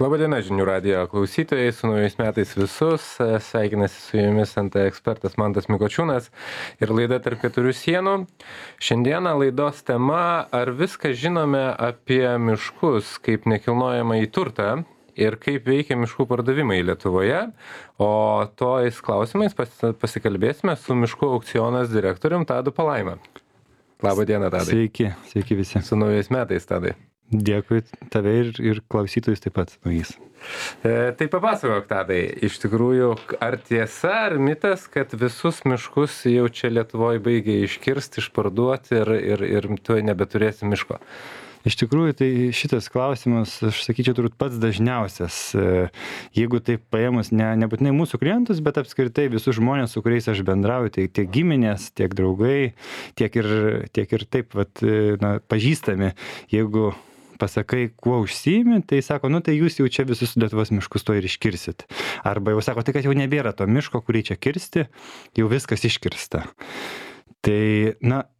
Labadiena žinių radijo klausytojai, su naujais metais visus. Sveikinasi su jumis NT ekspertas Mantas Mikočiūnas ir laida Tarp keturių sienų. Šiandieną laidos tema: ar viską žinome apie miškus kaip nekilnojamąjį turtą ir kaip veikia miškų pardavimai Lietuvoje. O tojais klausimais pasikalbėsime su miškų aukcionas direktorium Tadu Palaima. Labadiena, Tadai. Sveiki visi. Su naujais metais, Tadai. Dėkui tave ir klausytojus taip pat naujais. Tai papasakok, Tadai, iš tikrųjų, ar tiesa, ar mitas, kad visus miškus jau čia Lietuvoje baigia iškirsti, išparduoti ir tu nebeturėsi miško? Iš tikrųjų, tai šitas klausimas, aš sakyčiau, turbūt pats dažniausias. Jeigu taip paėmus nebūtinai mūsų klientus, bet apskritai visus žmonės, su kuriais aš bendrauju, tai tiek giminės, tiek draugai, tiek ir taip pažįstami, jeigu pasakai, kuo užsiimi, tai sako, tai jūs jau čia visus Lietuvos miškus to ir iškirsit. Arba jau sako, tai kad jau nebėra to miško, kurį čia kirsti, jau viskas iškirsta. Tai,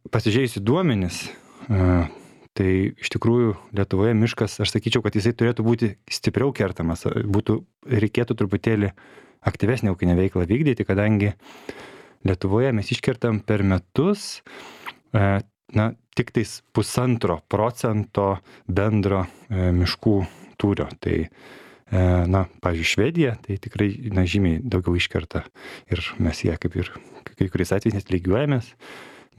pasižiūrėjusi duomenis, tai iš tikrųjų Lietuvoje miškas, aš sakyčiau, kad jisai turėtų būti stipriau kertamas, reikėtų truputėlį aktyvesnę ūkinę veiklą vykdyti, kadangi Lietuvoje mes iškertam per metus tik tais 0,5% bendro miškų tūrio. Tai, pavyzdžiui, Švedija, tai tikrai žymiai daugiau iškerta ir mes ją kaip ir kai kuriais atvejais net lygiuojamės,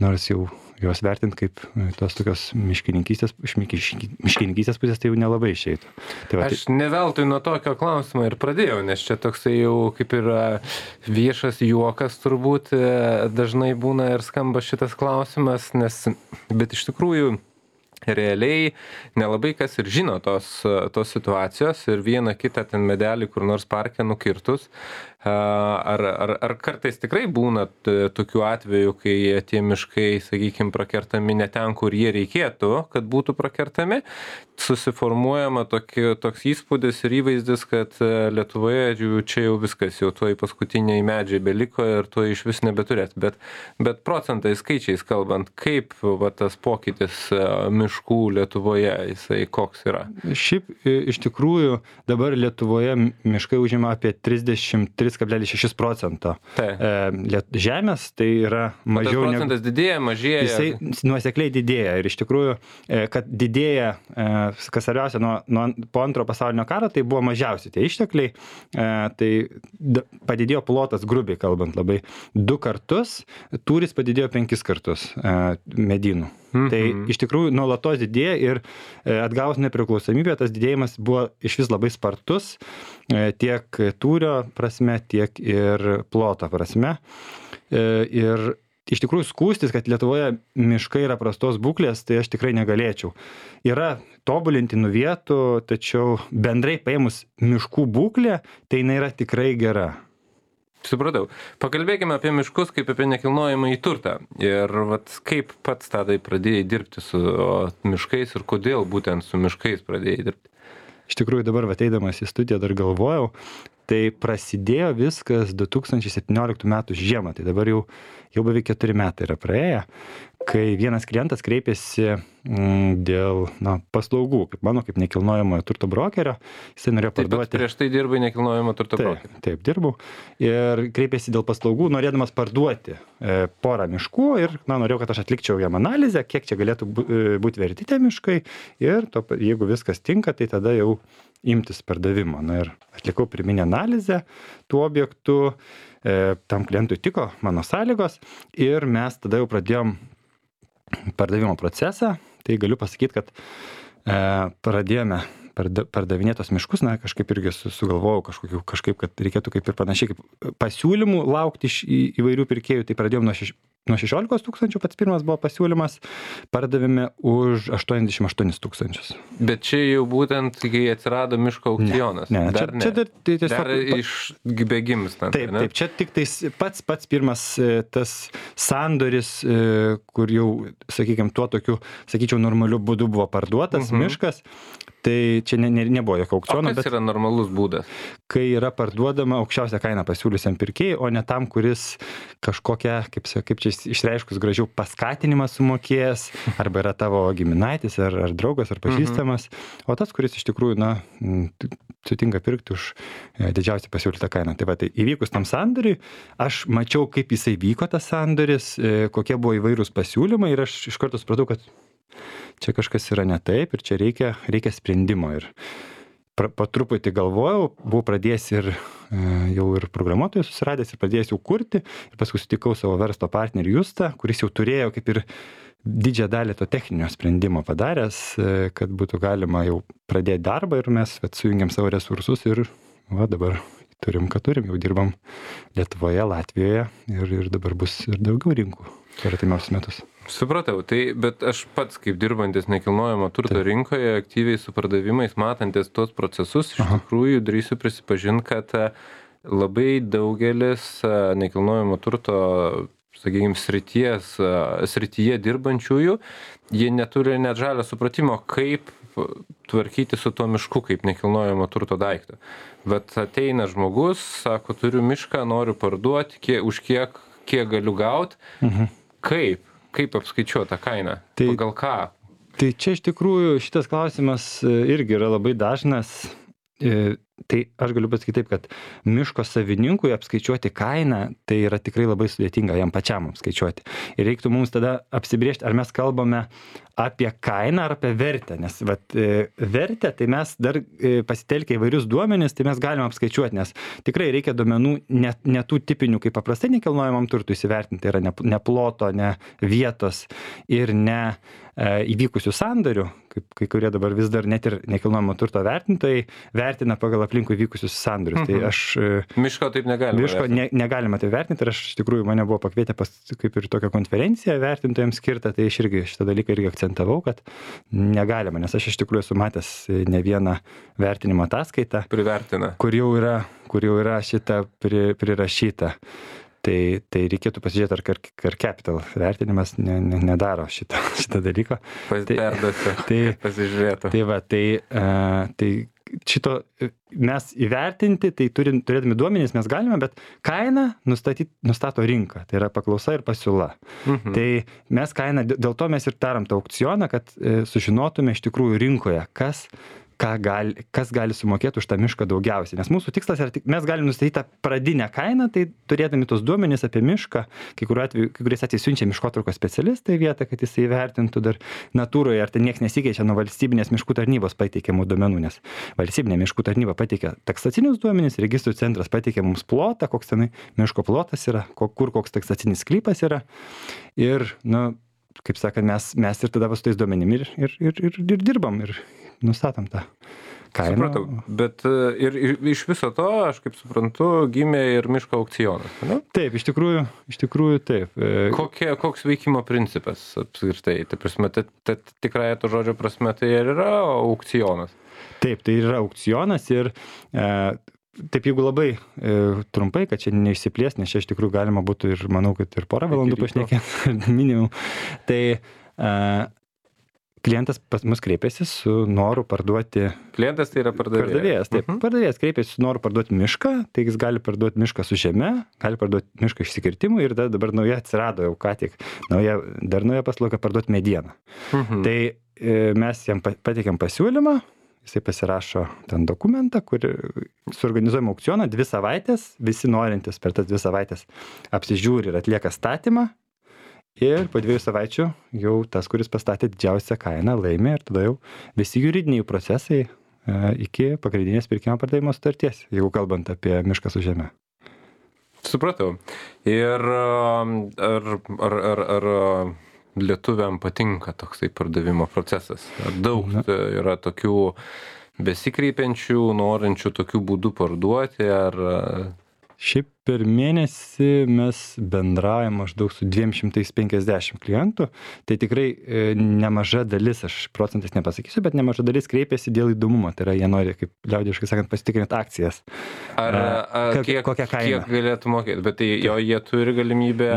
nors jau juos vertint kaip tos tokios miškininkystės pusės, tai jau nelabai išeitų. Tai Aš ne veltui nuo tokio klausimo ir pradėjau, nes čia toksai jau kaip ir viešas juokas turbūt dažnai būna ir skamba šitas klausimas, bet iš tikrųjų realiai nelabai kas ir žino tos situacijos ir vieną kitą ten medelį kur nors parke nukirtus. Ar kartais tikrai būna tokių atvejų, kai tie miškai, sakykime, prakertami ne ten, kur jie reikėtų, kad būtų prakertami, susiformuojama toks įspūdis ir įvaizdis, kad Lietuvoje čia jau viskas, jau tuoj paskutiniai medžiai beliko ir tuoj iš vis nebeturėt. Bet procentais, skaičiais kalbant, kaip tas pokytis miškų Lietuvoje, jisai koks yra? Šiaip iš tikrųjų dabar Lietuvoje miškai užima apie 33,6% žemės, tai yra mažiau negu... Procentas didėja, mažėja? Jisai nuosekliai didėja ir iš tikrųjų, kad didėja, kas svarbiausia, po antro pasaulinio karo, tai buvo mažiausi tie ištekliai, tai padidėjo plotas, grubiai kalbant, labai 2 kartus, tūris padidėjo 5 kartus medynų. Tai iš tikrųjų nuolatos didėja ir atgavus nepriklausomybę, tas didėjimas buvo iš vis labai spartus, tiek tūrio prasme, tiek ir ploto prasme. Ir iš tikrųjų skųstis, kad Lietuvoje miškai yra prastos būklės, tai aš tikrai negalėčiau. Yra tobulintinų vietų, tačiau bendrai paėmus miškų būklė, tai jinai yra tikrai gera. Supratau. Pakalbėkime apie miškus kaip apie nekilnojamąjį turtą. Ir kaip pats Tadai pradėjai dirbti su miškais ir kodėl būtent su miškais pradėjai dirbti? Iš tikrųjų dabar ateidamas į studiją dar galvojau, tai prasidėjo viskas 2017 metų žiemą, tai dabar jau beveik 4 metai yra praėję, kai vienas klientas kreipėsi dėl paslaugų, kaip nekilnojamojo turto brokerio, jisai norėjo parduoti. Taip, prieš tai dirbai nekilnojamo turto brokerio. Taip, dirbau. Ir kreipėsi dėl paslaugų, norėdamas parduoti porą miškų ir norėjau, kad aš atlikčiau jam analizę, kiek čia galėtų būti verti tie miškai ir jeigu viskas tinka, tai tada jau imtis pardavimo. Ir atlikau pirminę analizę tų objektų, tam klientui tiko mano sąlygos ir mes tada jau pradėjom pardavimo procesą. Tai galiu pasakyti, kad pradėjome pardavinėti tos miškus, kažkaip irgi sugalvojau kažkaip, kad reikėtų kaip ir panašiai kaip pasiūlymų laukti iš įvairių pirkėjų, tai pradėjom nuo 16 000, pats pirmas buvo pasiūlymas, pardavėme už 88 000. Bet čia jau būtent, kai atsirado miško aukcionas. Ne. Dar išbėgims. Taip, čia tik tais pats pirmas tas sandoris, kur jau, sakykime, tuo tokiu, sakyčiau, normaliu būdu buvo parduotas miškas. Tai čia nebuvo jokio aukciono, bet yra normalus būdas. Kai yra parduodama aukščiausią kainą pasiūlysiam pirkėjui, o ne tam, kuris kažkokią, kaip čia išreiškus gražiau, paskatinimą sumokės, arba yra tavo giminaitis, ar draugas, ar pažįstamas, o tas, kuris iš tikrųjų, sutinka pirkti už didžiausią pasiūlytą kainą. Tai va, tai įvykus tam sandoriui, aš mačiau, kaip jisai vyko tas sandoris, kokie buvo įvairūs pasiūlymai ir aš iš karto supratau, kad čia kažkas yra ne taip ir čia reikia sprendimo. Ir po truputį galvojau, buvau pradėjęs ir jau ir programuotojus susiradęs ir pradėjęs jau kurti. Ir paskui sutikau savo verslo partnerį Justą, kuris jau turėjo kaip ir didžiąją dalį to techninio sprendimo padaręs, kad būtų galima jau pradėti darbą ir mes sujungiam savo resursus ir dabar turim, ką turim, jau dirbam Lietuvoje, Latvijoje ir dabar bus ir daugiau rinkų per artimiausius metus. Supratau, bet aš pats kaip dirbantis nekilnojamo turto rinkoje, aktyviai su pardavimais, matantis tuos procesus, iš tikrųjų drįsiu prisipažinti, kad labai daugelis nekilnojamo turto, sakykime, srityje dirbančiųjų, jie neturi net žalio supratimo, kaip tvarkyti su tuo mišku kaip nekilnojamo turto daiktą. Bet ateina žmogus, sako, turiu mišką, noriu parduoti, už kiek galiu gauti. Kaip apskaičiuoti tą kainą? Pagal ką? Tai čia iš tikrųjų šitas klausimas irgi yra labai dažnas. Tai aš galiu pasakyti taip, kad miško savininkui apskaičiuoti kainą, tai yra tikrai labai sudėtinga jam pačiam apskaičiuoti. Ir reiktų mums tada apsibrėžti, ar mes kalbame apie kainą ar apie vertę. Nes vertę, tai mes dar pasitelkę įvairius duomenis, tai mes galime apskaičiuoti, nes tikrai reikia duomenų ne tų tipinių, kaip paprastai nekilnojamam turtui įsivertinti, tai yra ne ploto, ne vietos ir ne įvykusių sandorių, kaip kai kurie dabar vis dar net ir nekilnojamo turto vertintojai vertina pagal aplinkui vykusius sandorius. Tai aš miško taip negalima. Miško negalima tai vertinti ir aš iš tikrųjų mane buvo pakvietę kaip ir tokią konferenciją vertintojams skirtą, tai aš irgi šitą dalyką irgi akcentavau, kad negalima, nes aš iš tikrųjų esu matęs ne vieną vertinimo ataskaitą, kur jau yra šita prirašyta. Tai reikėtų pasižiūrėti, ar Capital vertinimas nedaro šitą dalyką. Pasižiūrėtų. Tai šito mes įvertinti, tai turėdami duomenys mes galime, bet kainą nustato rinka, tai yra paklausa ir pasiūla. Tai mes kainą, dėl to mes ir darom tą aukcioną, kad sužinotume iš tikrųjų rinkoje, kas gali sumokėti už tą mišką daugiausiai. Nes mūsų tikslas yra, mes galim nustatyti tą pradinę kainą, tai turėdami tos duomenys apie mišką, kai kuriais atvejais siunčia miškotvarkos specialistai vietą, kad jis įvertintų dar natūroje, ar tai niekas nesikeičia nuo valstybinės miškų tarnybos pateikiamų duomenų, nes valstybinė miškų tarnyba pateikia taksacinius duomenys, registrų centras pateikia mums plotą, koks tenai miško plotas yra, kur koks taksacinis sklypas yra. Ir, kaip sakant, mes ir tada su tais duomenim ir dirbam ir nustatom tą kainą. Supratau, bet ir iš viso to, aš kaip suprantu, gimė ir miško aukcionas, ne? Taip, iš tikrųjų taip. Koks veikimo principas apskritai? Tai prasme, tikrąją to žodžio prasme, tai ir yra aukcionas? Taip, tai yra aukcionas ir taip, jeigu labai trumpai, kad čia neišsiplės, nes čia iš tikrųjų galima būtų ir, manau, kad ir porą valandų pašnekėti minimum. Tai klientas pas mus kreipėsi su noru parduoti. Klientas tai yra pardavėjas. Taip, pardavėjas kreipėsi su noru parduoti mišką, tai jis gali parduoti mišką su žeme, gali parduoti mišką išsikirtimų ir dabar nauja atsirado jau ką tik, nauja paslauga parduoti medieną. Tai mes jam pateikėm pasiūlymą, jisai pasirašo ten dokumentą, kur suorganizuojam aukcioną 2 savaitės, visi norintys per tas 2 savaitės apsižiūri ir atlieka statymą. Ir po 2 savaičių jau tas, kuris pastatė didžiausią kainą, laimė ir tada jau visi juridiniai procesai iki pagrindinės pirkimo pardavimo sutarties, jeigu kalbant apie mišką su žeme. Supratau. Ir ar lietuviam patinka toksai pardavimo procesas? Ar daug yra tokių besikreipiančių, norinčių tokių būdų parduoti? Ar... Šiaip per mėnesį mes bendraujam maždaug su 250 klientų, tai tikrai nemaža dalis, aš procentais nepasakysiu, bet nemaža dalis kreipiasi dėl įdomumo, tai yra jie nori, kaip liaudiškai sakant, pasitikrinti akcijas. Kokią kainą? Kiek galėtų mokėti, bet tai jo jie turi galimybę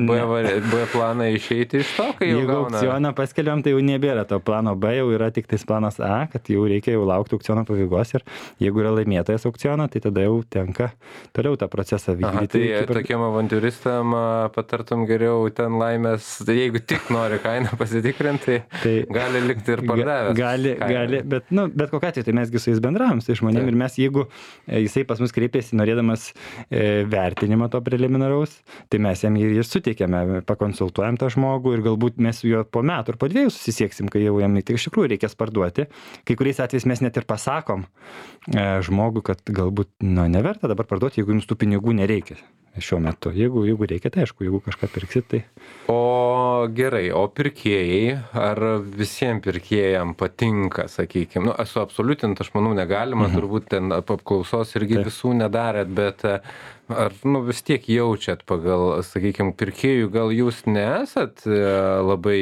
B planą išeiti iš to, kai jau jeigu gauna. aukcioną paskelbiam, tai jau nebėra to plano B, jau yra tik tais planas A, kad jau reikia jau laukti aukciono pabaigos ir jeigu yra laimėtojas aukciono, tai tada jau tenka toliau tą procesą vykdyti. Tai tokiem avantiūristam patartum geriau ten laimės, tai jeigu tik nori kainą pasitikrinti, tai gali likti ir pardavęs. Gali, bet kokiu atveju, tai mesgi su jais bendravom, su žmonėm ir mes, jeigu jisai pas mus kreipėsi norėdamas vertinimo to preliminaraus, tai mes jam ir suteikėme, pakonsultuojam tą žmogų ir galbūt mes su juo po metų ir po 2 susisieksim, kai jau jam tai iš tikrųjų reikės parduoti. Kai kuriais atvejais mes net ir pasakom žmogui, kad galbūt neverta dabar parduoti, jeigu jums tų pinigų nereikia šiuo metu. Jeigu reikia, tai aišku, jeigu kažką pirksit, tai... O gerai, o pirkėjai, ar visiems pirkėjams patinka, sakykime, esu absoliutint, aš manau, negalima, turbūt ten apklausos irgi visų nedarėt, bet ar vis tiek jaučiat pagal, sakykime, pirkėjų, gal jūs nesat labai,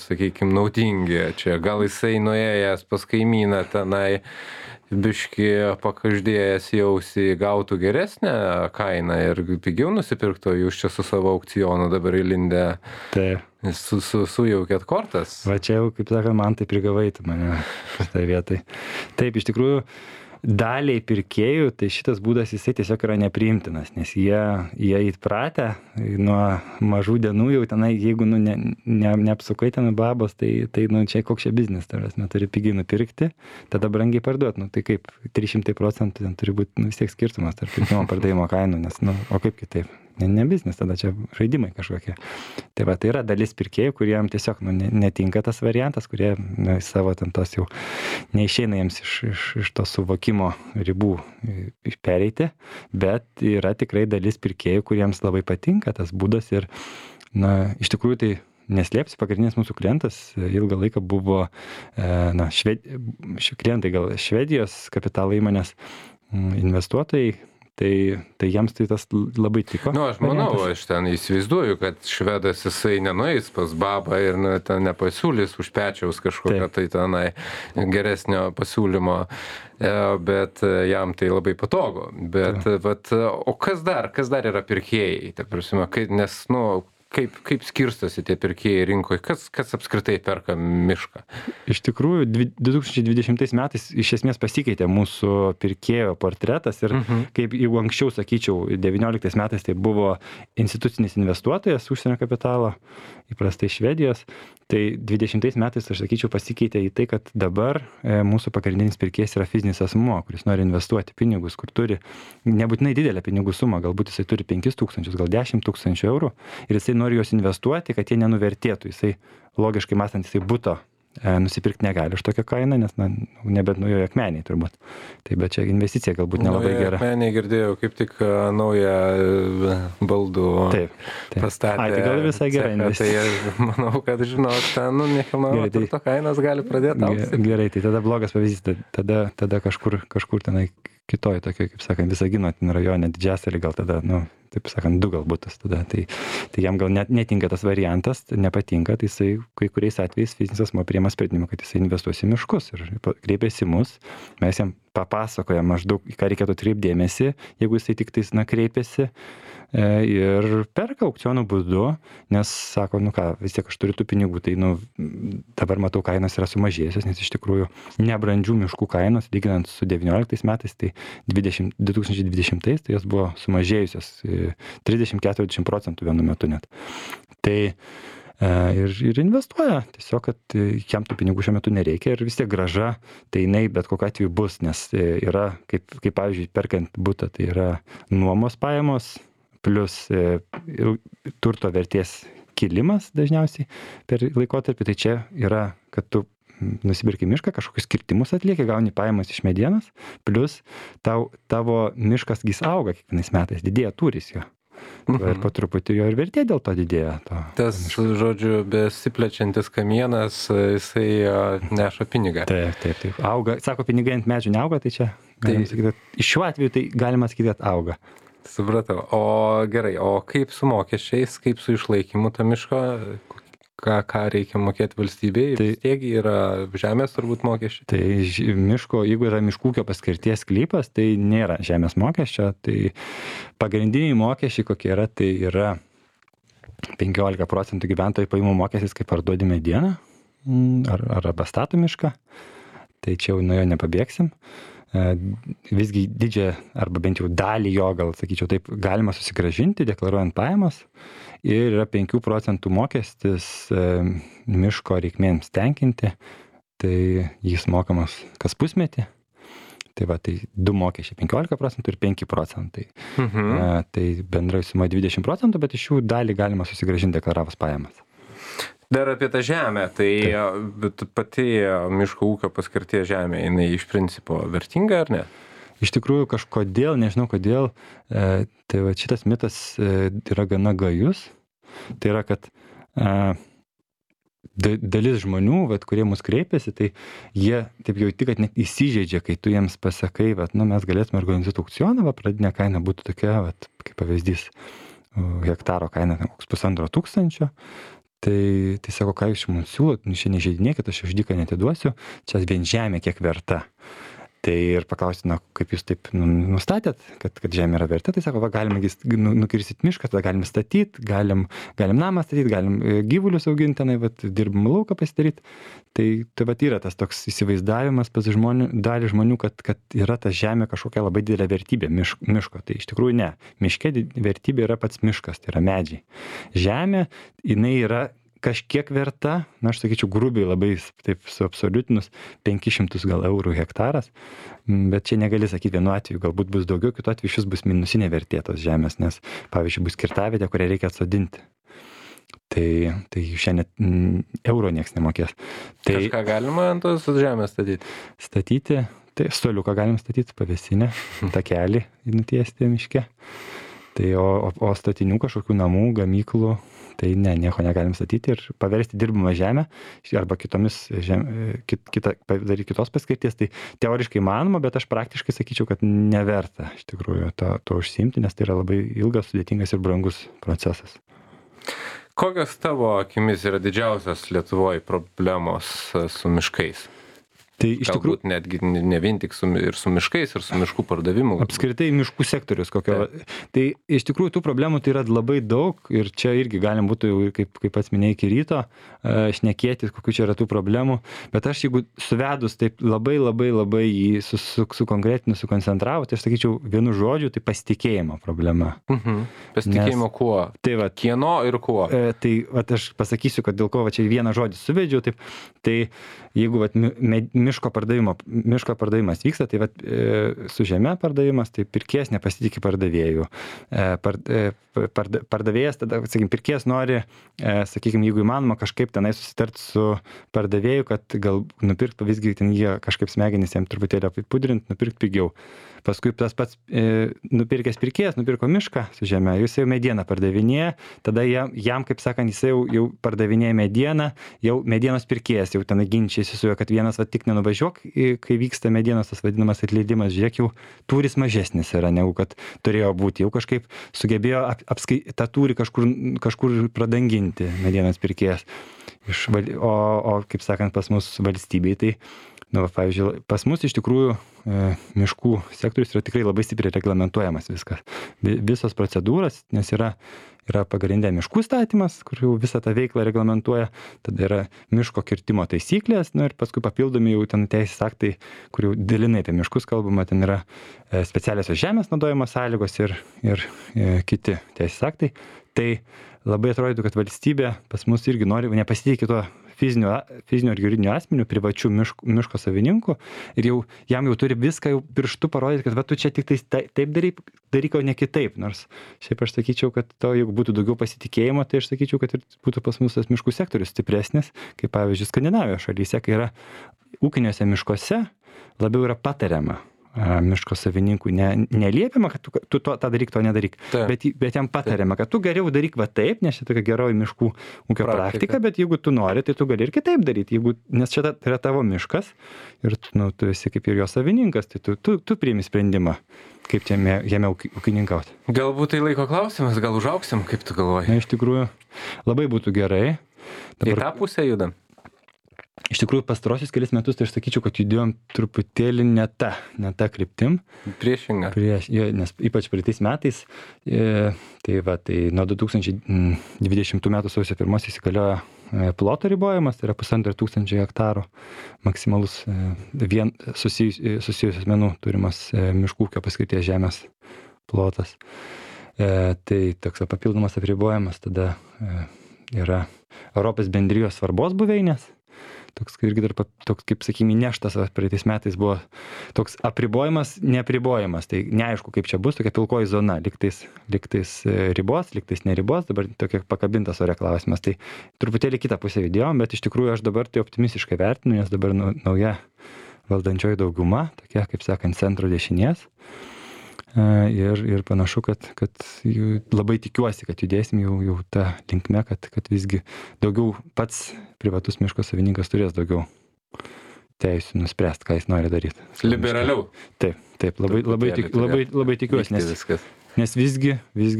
sakykime, naudingi čia, gal jisai nuėjęs pas kaimyną tenai biški pakaždėjęs jausi gautų geresnę kainą ir pigiau nusipirktų, jūs čia su savo aukcionu dabar įlindę sujaukėt kortas. Va čia jau, kaip sakant, man tai prigavai tu mane šitą vietą. Taip, iš tikrųjų, daliai pirkėjų, tai šitas būdas jisai tiesiog yra nepriimtinas, nes jie įpratę nuo mažų dienų jau tenai, jeigu neapsukai ten babos, tai čia koks čia biznis, turi pigiai nupirkti, tada brangiai parduoti, tai kaip 300% ten turi būti vis tiek skirtumas tarp pirkimo pardavimo kainų, nes, o kaip kitaip? Ne biznis, tada čia žaidimai kažkokie. Tai va, tai yra dalis pirkėjų, kuriem tiesiog netinka tas variantas, kurie savo ten tos jau neišeina jiems iš to suvokimo ribų pereiti, bet yra tikrai dalis pirkėjų, kuriems labai patinka tas būdas ir, iš tikrųjų tai neslėpsi, pagrindinis mūsų klientas ilgą laiką buvo, klientai gal Švedijos kapitalo įmonės investuotojai, tai jiems tai tas labai tiko. Aš manau, aš ten įsivaizduoju, kad švedas jisai nenueis pas babą ir ten nepasiūlys už pečiaus kažkokio tai tenai geresnio pasiūlymo, bet jam tai labai patogu. Bet, o kas dar yra pirkėjai? Ta prasme, nes, kaip skirstosi tie pirkėjai rinkoje, kas apskritai perka mišką? Iš tikrųjų, 2020 metais iš esmės pasikeitė mūsų pirkėjo portretas ir kaip jau anksčiau sakyčiau, 2019 metais tai buvo institucinis investuotojas užsienio kapitalo, įprastai Švedijos, tai 2020 metais aš sakyčiau pasikeitė į tai, kad dabar mūsų pagrindinis pirkėjas yra fizinis asmuo, kuris nori investuoti pinigus, kur turi nebūtinai didelę pinigų sumą, galbūt jisai turi 5 000, gal 10 000 eurų ir jisai nori juos investuoti, kad jie nenuvertėtų. Jisai logiškai mąstant, jisai buto nusipirkti negali už tokią kainą, nes nebent nujojo akmeniai turbūt. Tai bet čia investicija galbūt nelabai gera. Akmeniai girdėjau, kaip tik naują baldų pastatė. Tai gal visai gera investicija. Tai manau, kad žinot, ten nekilnojamo turto kainos gali pradėti augti. Gerai, tai tada blogas pavyzdys, tada kažkur tenai kitoj tokioj, kaip sakant, Visagino rajone, Didžiasalį gal tada, taip sakant, 2 gal butas tada. Tai jam gal netinka tas variantas, nepatinka, tai jisai kai kuriais atvejais fizinis asmuo priima sprendimą, kad jisai investuos į miškus ir kreipiasi mus, mes jam papasakojam maždaug, ką reikėtų atkreipti dėmesį, jeigu jisai tik tais kreipiasi ir perka aukciono būdu, nes sako, vis tiek aš turiu tų pinigų, tai dabar matau kainos yra sumažėjusios, nes iš tikrųjų nebrandžių miškų kainos, lyginant su 2019 metais, tai 2020 tai jos buvo sumažėjusios 30-40% vienu metu net. Tai ir investuoja, tiesiog, kad jam tų pinigų šiuo metu nereikia ir vis tiek grąža, tai jinai bet kokiu atveju bus, nes yra, kaip pavyzdžiui, perkant butą, tai yra nuomos pajamos, plus turto vertės kilimas dažniausiai per laikotarpį, tai čia yra, kad tu nusipirki mišką, kažkokius kirtimus atlieki, gauni pajamas iš medienos, plus tavo miškas gis auga kiekvienais metais, didėja tūris jo. Ir po truputį jo ir vertė dėl to didėja. Tas, žodžiu, besiplečiantis kamienas, jisai neša pinigą. Taip. Auga, sako, pinigai ant medžių neauga, tai čia galim sakyti, kad iš šiuo atveju tai galima sakyti, kad auga. Supratau. O gerai, o kaip su mokesčiais, kaip su išlaikymu to miško, ką reikia mokėti valstybei? Tai- Vis tiek yra žemės turbūt mokesčiai. Tai miško, jeigu yra miškų ūkio paskirties sklypas, tai nėra žemės mokesčio. Tai pagrindiniai mokesčiai kokie yra, tai yra 15% gyventojų pajamų mokestis, kaip parduodi medieną arba stato mišką. Tai čia jau nuo jo nepabėgsim. Visgi didžiąją arba bent jau dalį jo, gal sakyčiau taip, galima susigrąžinti, deklaruojant pajamas. Ir yra 5% mokestis miško reikmėms tenkinti. Tai jis mokamas kas pusmetį. Tai va, tai 2 mokesčiai 15% ir 5%. Tai bendrai suma 20%, bet iš jų dalį galima susigrąžinti deklaravus pajamas. Dar apie tą žemę, tai bet pati miško ūkio paskirties žemė, jinai iš principo vertinga ar ne? Iš tikrųjų kažkodėl, nežinau kodėl, tai va šitas mitas yra gana gajus. Tai yra, kad dalis žmonių, vat, kurie mus kreipiasi, tai jie taip jauti, kad net įsižeidžia, kai tu jiems pasakai, vat, nu, mes galėtume organizuoti aukcioną, va, pradinė kaina būtų tokia, vat, kaip pavyzdys, hektaro kaina koks 1500. Tai sako, ką jūs mums siūlot, nu, šiandien žaidinėkit, aš už dyką netiduosiu, čia vien žemė kiek verta. Tai ir paklausti, na, kaip jūs taip nustatėt, kad žemė yra verta, tai sako, va, galime nukirsit mišką, tada galim statyti, galim namą statyti, galim gyvulius auginti, tenai, va, dirbam lauką pasidaryti. Tai va, yra tas toks įsivaizdavimas pas dalį žmonių, kad yra ta žemė kažkokia labai didelė vertybė miško. Tai iš tikrųjų ne. Miške vertybė yra pats miškas, tai yra medžiai. Žemė, jinai yra kažkiek verta, na, aš sakyčiau, grubiai labai taip suabsoliutinus 500 gal eurų hektaras, bet čia negali sakyti vienu atveju, galbūt bus daugiau, kitu atveju šis bus minusinė vertė tos žemės, nes, pavyzdžiui, bus kirtavietė, kurią reikia atsodinti. Tai šiandien euro nieks nemokės. Tai kažką galima ant tos žemės statyti? Statyti, tai stoliuką galim statyti, pavėsinę, takelį nutiesti miške. Tai o statinių kažkokių namų, gamyklų, tai ne, nieko negalim statyti ir paversti dirbamą žemę arba padaryti kitos paskirties. Tai teoriškai manoma, bet aš praktiškai sakyčiau, kad neverta iš tikrųjų to užsiimti, nes tai yra labai ilgas, sudėtingas ir brangus procesas. Kokios tavo akimis yra didžiausios Lietuvoje problemos su miškais? Tai iš tikrųjų galbūt netgi ne vien tik su miškais ir su miškų pardavimu. Apskritai miškų sektorius kokio. Tai iš tikrųjų tų problemų tai yra labai daug ir čia irgi galim būtų jau, kaip pats minėjai, iki ryto šnekėti, kokių čia yra tų problemų. Bet aš jeigu suvedus taip labai jį sukonkretinu, sukoncentravo, tai aš sakyčiau vienu žodžiu, tai pasitikėjimo problema. Pasitikėjimo kuo? Tai va, kieno ir kuo? Tai va, aš pasakysiu, kad dėl ko va, čia vieną žodį suvedžiau. Taip, tai jeigu va, miško pardavimas vyksta, tai vat, su žeme pardavimas, tai pirkėjas nepasitikė pardavėjų. Pardavėjas, tada, sakykim, pirkėjas nori, sakykim, jeigu įmanoma kažkaip tenai susitart su pardavėju, kad gal nupirkt visgi ten jie kažkaip smegenys jam truputėlį apipudrint, nupirkt pigiau. Paskui tas pats nupirkęs pirkėjas nupirko mišką su žeme, jis jau medieną pardavinėja, tada jam, kaip sakant, jis jau pardavinėja medieną, jau medienos pirkėjas jau ten ginčiasi su juo, kad vienas va tik nenuvažiuok, kai vyksta medienos tas vadinamas atleidimas, žiūrėk, jau tūris mažesnis yra, negu kad turėjo būti, jau kažkaip sugebėjo tą tūrį kažkur pradanginti medienos pirkėjas. O kaip sakant, pas mus valstybei, tai nu, pavyzdžiui, pas mus iš tikrųjų miškų sektorius yra tikrai labai stipriai reglamentuojamas viskas. Visos procedūros, nes yra pagrindė miškų statymas, kur jau visą tą veiklą reglamentuoja, tada yra miško kirtimo taisyklės, nu, ir paskui papildomi jau ten teisės aktai, kur jau dalinai apie miškus kalbama, ten yra specialiosios žemės naudojimo sąlygos ir kiti teisės aktai. Tai labai atrodytų, kad valstybė pas mus irgi nori nepasitikė tuo fizinio ir juridinio asmenių, privačių miško savininkų ir jau jam jau turi viską jau pirštu parodyti, kad va tu čia tik taip daryk, o ne kitaip. Nors šiaip aš sakyčiau, kad to, jeigu būtų daugiau pasitikėjimo, tai aš sakyčiau, kad ir būtų pas mus tas miškų sektorius stipresnis, kaip pavyzdžiui Skandinavijos šalyse, kai yra ūkiniuose miškuose labiau yra patariama miško savininkui neliepiama, kad tu tą daryk, to nedaryk, Taip. bet jam patariama, kad tu geriau daryk va taip, nes čia tokia geroji miškų ūkio praktika, bet jeigu tu nori, tai tu gali ir kitaip daryti, nes čia yra tavo miškas ir tu esi kaip ir jo savininkas, tai tu priimi sprendimą, kaip jame ūkininkauti. Galbūt tai laiko klausimas, gal užauksim, kaip tu galvoji? Na, iš tikrųjų, labai būtų gerai. Į tą pusę judam? Iš tikrųjų, pastarosius kelis metus, tai aš sakyčiau, kad judėjom truputėlį ne ta kryptim. Priešinga. Nes ypač praeitais metais, tai nuo 2020 metų sausio 1 įsigaliojo ploto ribojimas, tai yra 1500 hektarų maksimalus susijusių asmenų turimas miškų ūkio paskirties žemės plotas. Tai toks papildomas apribojimas tada yra Europos bendrijos svarbos buveinės. Toks irgi dar toks, kaip sakykime, neštas praeitais metais buvo toks apribojimas, neapribojimas. Tai neaišku, kaip čia bus, tokia pilkoji zona, lygtais ribos, lygtais neribos, dabar tokia pakabintas ore klausimas. Tai truputėlį kitą pusę judėjom, bet iš tikrųjų aš dabar tai optimistiškai vertinu, nes dabar nauja valdančioji dauguma, tokia, kaip sakant, centro dešinės. Ir panašu, kad labai tikiuosi, kad judėsim jau tą linkme, kad visgi daugiau pats privatus miško savininkas turės daugiau teisių nuspręsti, ką jis nori daryti. Liberaliau. Taip, labai tikiuosi, nes visgi vis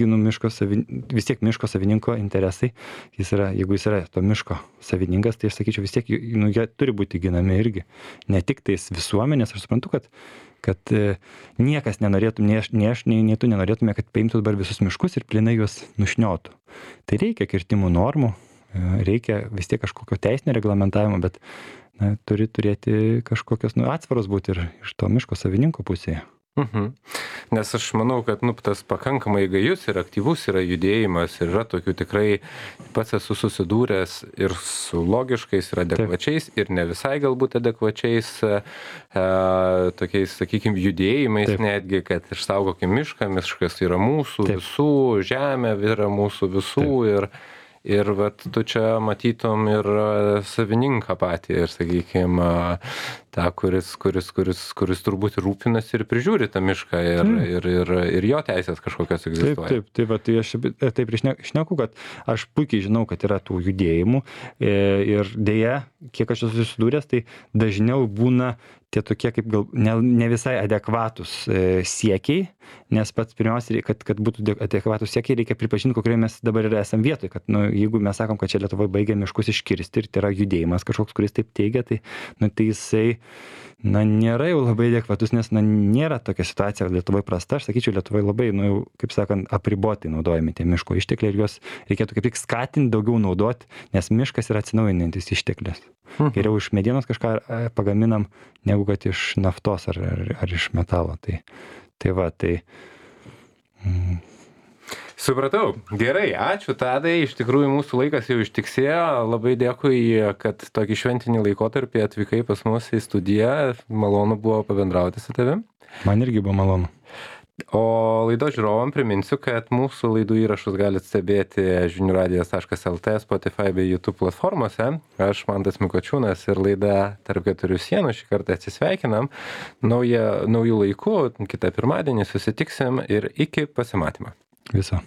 tiek miško savininko interesai, jeigu jis yra to miško savininkas, tai aš sakyčiau, vis tiek jie turi būti ginami irgi. Ne tik tais visuomenės, aš suprantu, kad niekas nenorėtų, nei aš, nei tu nenorėtume, kad paimtų dabar visus miškus ir plinai juos nušniotų. Tai reikia kirtimų normų, reikia vis tiek kažkokio teisinio reglamentavimo, bet turi turėti kažkokios atsvaros būti ir iš to miško savininko pusėje. Nes aš manau, kad tas pakankamai gajus ir aktyvus yra judėjimas ir yra tokių tikrai, pats esu susidūręs ir su logiškais ir adekvačiais ir ne visai galbūt adekvačiais tokiais, sakykime, judėjimais. Taip. Netgi, kad išsaugokim mišką, miškas yra mūsų visų, žemė yra mūsų visų. Taip. Ir vat tu čia matytum ir savininką patį ir, sakykime, tą, kuris turbūt rūpinasi ir prižiūri tą mišką ir jo teisės kažkokios egzistuoja. Taip, tai aš taip šneku, kad aš puikiai žinau, kad yra tų judėjimų ir dėja, kiek aš esu susidūręs, tai dažniau būna tie tokie kaip gal ne visai adekvatus siekiai, nes pats pirmiausia, kad būtų adekvatus siekiai, reikia pripažinti, kokioje mes dabar esam vietoje, kad jeigu mes sakom, kad čia Lietuvoje baigia miškus iškirsti ir tai yra judėjimas kažkoks, kuris taip teigia, tai jisai nėra jau labai adekvatus, nes nėra tokia situacija Lietuvoje prasta. Aš sakyčiau, Lietuvoje labai, kaip sakant, apribotai naudojami tie miško ištekliai ir juos reikėtų kaip tik skatinti daugiau naudoti, nes miškas yra atsinaujinantis išteklis. Geriau iš medienos kažką pagaminam, negu kad iš naftos ar iš metalo. Supratau. Gerai, ačiū Tadai. Iš tikrųjų, mūsų laikas jau ištiksėjo. Labai dėkui, kad tokį šventinį laikotarpį atvykai pas mus į studiją. Malonu buvo pabendrauti su tavim. Man irgi buvo malonu. O laidos žiūrovam priminsiu, kad mūsų laidų įrašus galite stebėti žiniųradijas.lt, Spotify bei YouTube platformose. Aš Mantas Mikočiūnas ir laida Tarp keturių sienų šį kartą atsisveikinam. Naujų laikų, kitą pirmadienį susitiksim ir iki pasimatymo. Viso.